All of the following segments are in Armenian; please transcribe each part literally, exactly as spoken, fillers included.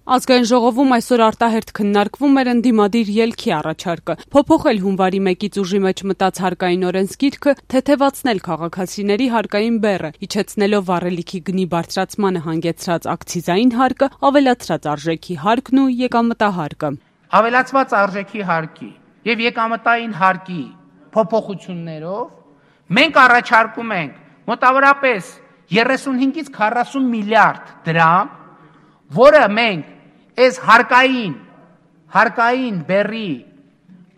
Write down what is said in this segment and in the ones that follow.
Ազգային ժողովում այսօր արտահերթ քննարկվում էր ընդդիմադիր ելքի առաջարկը, փոփոխել հունվարի մեկից ուժի մեջ մտած հարկային օրենսգիրքը, թեթևացնել քաղաքացիների հարկային բեռը, իջեցնելով վառելիքի գնի բարձրացմանը հանգեցրած ակցիզային հարկը, ավելացրած արժեքի հարկն ու եկամտահարկը։ Ավելացված արժեքի հարկի եւ եկամտային հարկի փոփոխություններով մենք առաջարկում ենք մոտավորապես երեսունհինգից քառասուն միլիարդ դրամ, որը մենք այս հարկային, հարկային բեռի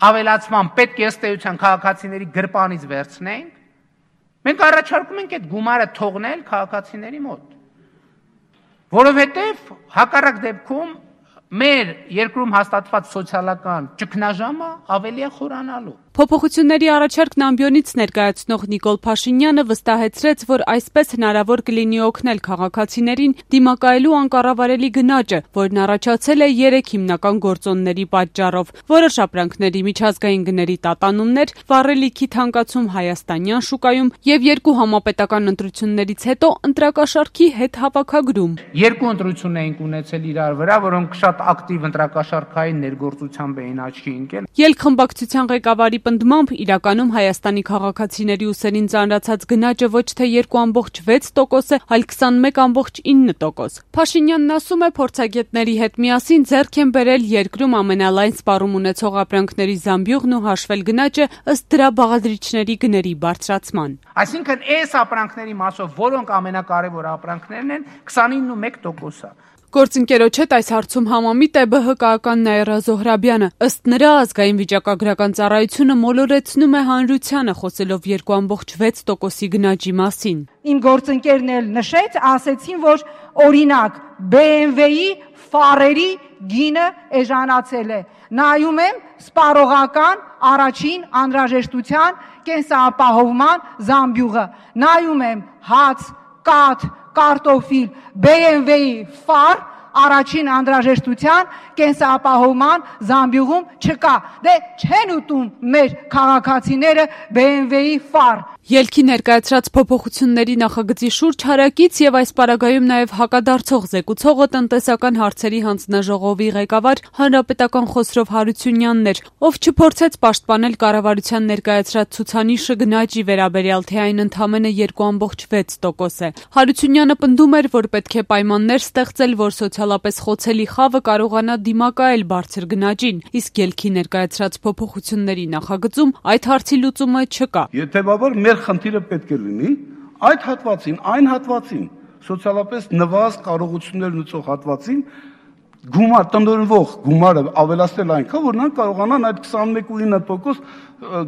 ավելացման պետք է ըստ էության քաղաքացիների գրպանից վերցնենք, մենք առաջարկում ենք այդ գումարը թողնել քաղաքացիների մոտ, որովհետև հակառակ դեպքում մեր երկրում հաստատված սոցիալական ճգնաժամը ավելի է խորանալու։ Փոփոխությունների առաջարկն ամբիոնից ներկայացնող Նիկոլ Փաշինյանը վստահեցրեց, որ այսպես հնարավոր կլինի օգնել քաղաքացիներին դիմակայելու անկառավարելի գնաճը, որն առաջացել է երեք հիմնական գործոնների պատճառով՝ որոշ ապրանքների միջազգային գների տատանումներ, վառելիքի թանկացում հայաստանյան շուկայում եւ երկու համապետական ընտրություններից հետո ընտրակաշառքի հետ հավաքագրում։ Երկու ընտրություն էինք ունեցել իրար վրա, որոնք շատ ակտիվ ընտրակաշառքային ներգործությամբ էին աչքի ընկել։ Ելքխմբակցության ղեկավարի պնդմամբ իրականում Հայաստանի քաղաքացիների ուսերին ծանրացած գնաճը ոչ թե երկու ամբողջ վեց տոկոս է, այլ քսանմեկ ամբողջ ինը տոկոս։ Փաշինյանն ասում է, փորձագետների հետ միասին ձեռք են բերել երկրում ամենալայն սպառում ունեցող ապրանքների զամբյուղն ու հաշվել գնաճը ըստ դրա բաղադրիչների գների բարձրացման։ Այսինքն այս ապրանքների մասով, որոնք ամենակարևոր ապրանքներն են, քսանինը մեկ տոկոս է։ Գործընկերոջ հետ այս հարցում համամիտ է ԲՀԿ-ական Նաիրա Զոհրաբյանը։ Ըստ նրա, ազգային վիճակագրական ծառայությունը մոլորեցնում է հանրությանը, խոսելով երկու ամբողջ վեց տոկոսի գնաճի մասին։ Իմ գործընկերն էլ նշեց, ասեցին, որ օրինակ B M W-ի ֆարերի գինը էժանացել է։ Նայում եմ սպառողական առաջին անհրաժեշտության կենսապահովման զամբյուղը։ Նայում եմ հաց, կաթ, կարտոֆիլ, B M W-ի ֆար առաջին անհրաժեշտության կենսապահովման զամբյուղում չկա։ Դե չեն ուտում մեր քաղաքացիները B M W-ի ֆար։ Ելքի ներկայացրած փոփոխությունների նախագծի շուրջ հարակից եւ այս պարագայում նաեւ հակադարձող զեկուցողը տնտեսական հարցերի հանձնաժողովի ղեկավար հանրապետական Խոսրով Հարությունյանն էր, ով չփորձեց պաշտպանել կառավարության ներկայացրած ցուցանիշը գնաճի վերաբերյալ, թե այն ընդամենը երկու ամբողջ վեց տոկոս է։ Հարությունյանը պնդում էր, որ պետք է պայմաններ ստեղծել, որ սոցիալապես խոցելի խավը կարողանա դիմակայել բարձր գնաճին, իսկ ելքի ներկայացրած փոփոխությունների նախագծում այդ հարցի լուծումը չկա։ Եթեւաբար մեր խնդիրը պետք է լինի այդ հատվածին, այն հատվածին, սոցիալապես նվազ կարողություններ ունեցող հատվածին գումար տնօրինվող գումարը ավելացնել այնքան, որ նրանք կարողանան այդ քսանմեկ ու ինը տոկոս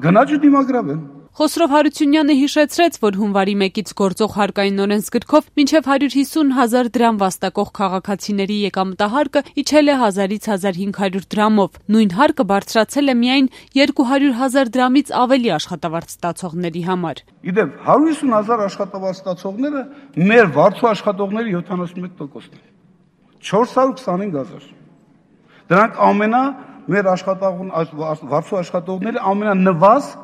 գնաճը դիմագրավել։ Խոսրով Հարությունյանը հիշեցրեց, որ հունվարի մեկից գործող հարկային օրենսգրքով մինչև հարյուր հիսուն հազար դրամ վաստակող քաղաքացիների եկամտահարկը իջել է հազարից հազար հինգ հարյուր դրամով։ Նույն հարկը բարձրացել է միայն երկու հարյուր հազար դրամից ավելի աշխատավարձ ստացողների համար։ Իդեպ հարյուր հիսուն հազար աշխատավարձ ստացողները մեր վարձու աշխատողների յոթանասունմեկ տոկոսն են։ չորս հարյուր քսանհինգ հազար։ Դրանք ամենա մեր աշխատողն վարձու աշխատողների ամենանվազ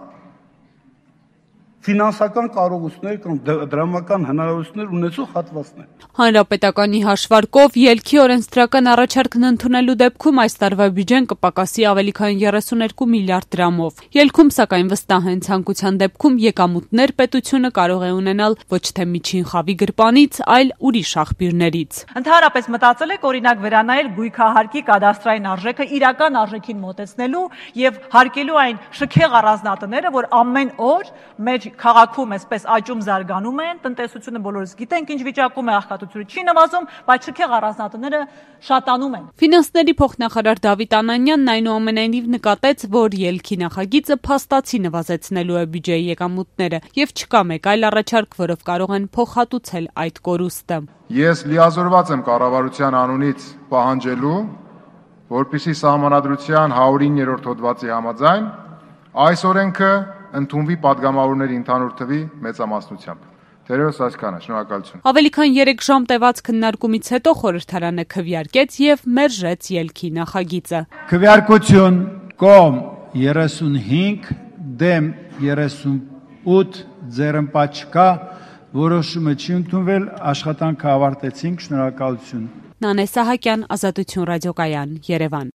ֆինանսական կարողություններ կամ դրամական հնարավորություններ ունեցող հատվածն է։ Հանրապետականի հաշվարկով ելքի օրենսդրական առաջարկն ընդունելու դեպքում այս տարվա բյուջեն կպակասի ավելի քան երեսուներկու միլիարդ դրամով։ Ելքում սակայն վստահ են ցանկության դեպքում եկամուտներ պետությունը կարող է ունենալ ոչ թե միջին խավի գրպանից, այլ ուրիշ աղբյուրներից։ Ընդհանրապես մտածել եք օրինակ վերանայել գույքահարկի կադաստրային արժեքը իրական արժեքին մոտեցնելու եւ հարկելու այն շքեղ առանձնատները, որ ամեն օր մեր քաղաքում այսպես աճում զարգանում են, տնտեսությունը բոլորս գիտենք ինչ վիճակում է, աղքատությունը չի նվազում, բայց շքեղ առանձնատները շատանում են։ Ֆինանսների փոխնախարար Դավիթ Անանյանն այնուամենայնիվ նկատեց, որ ելքի նախագիծը փաստացի նվազեցնելու է բյուջեի եկամուտները եւ չկա մեկ այլ առաջարկ, որով կարող են փոխհատուցել այդ կորուստը։ Ես լիազորված եմ կառավարության անունից պահանջելու, որպեսզի Սահմանադրության հարյուր իններորդ հոդվածի համաձայն այս օրենքը ընդունվի падգամավորների ընդհանուր թվի մեծամասնությամբ։ Թերևս այսքանը, շնորհակալություն։ Ավելի քան երեք ժամ տևած քննարկումից հետո խորհրդարանը քվեարկեց եւ մերժեց ելքի նախագիծը։ Քվեարկություն կողմ երեսունհինգ դեմ երեսունութ ձեռնպաչ չկա, որոշումը չի ընդունվել, աշխատանքը ավարտեցինք, շնորհակալություն։ Նանե Սահակյան, Ազատություն ռադիոկայան, Երևան։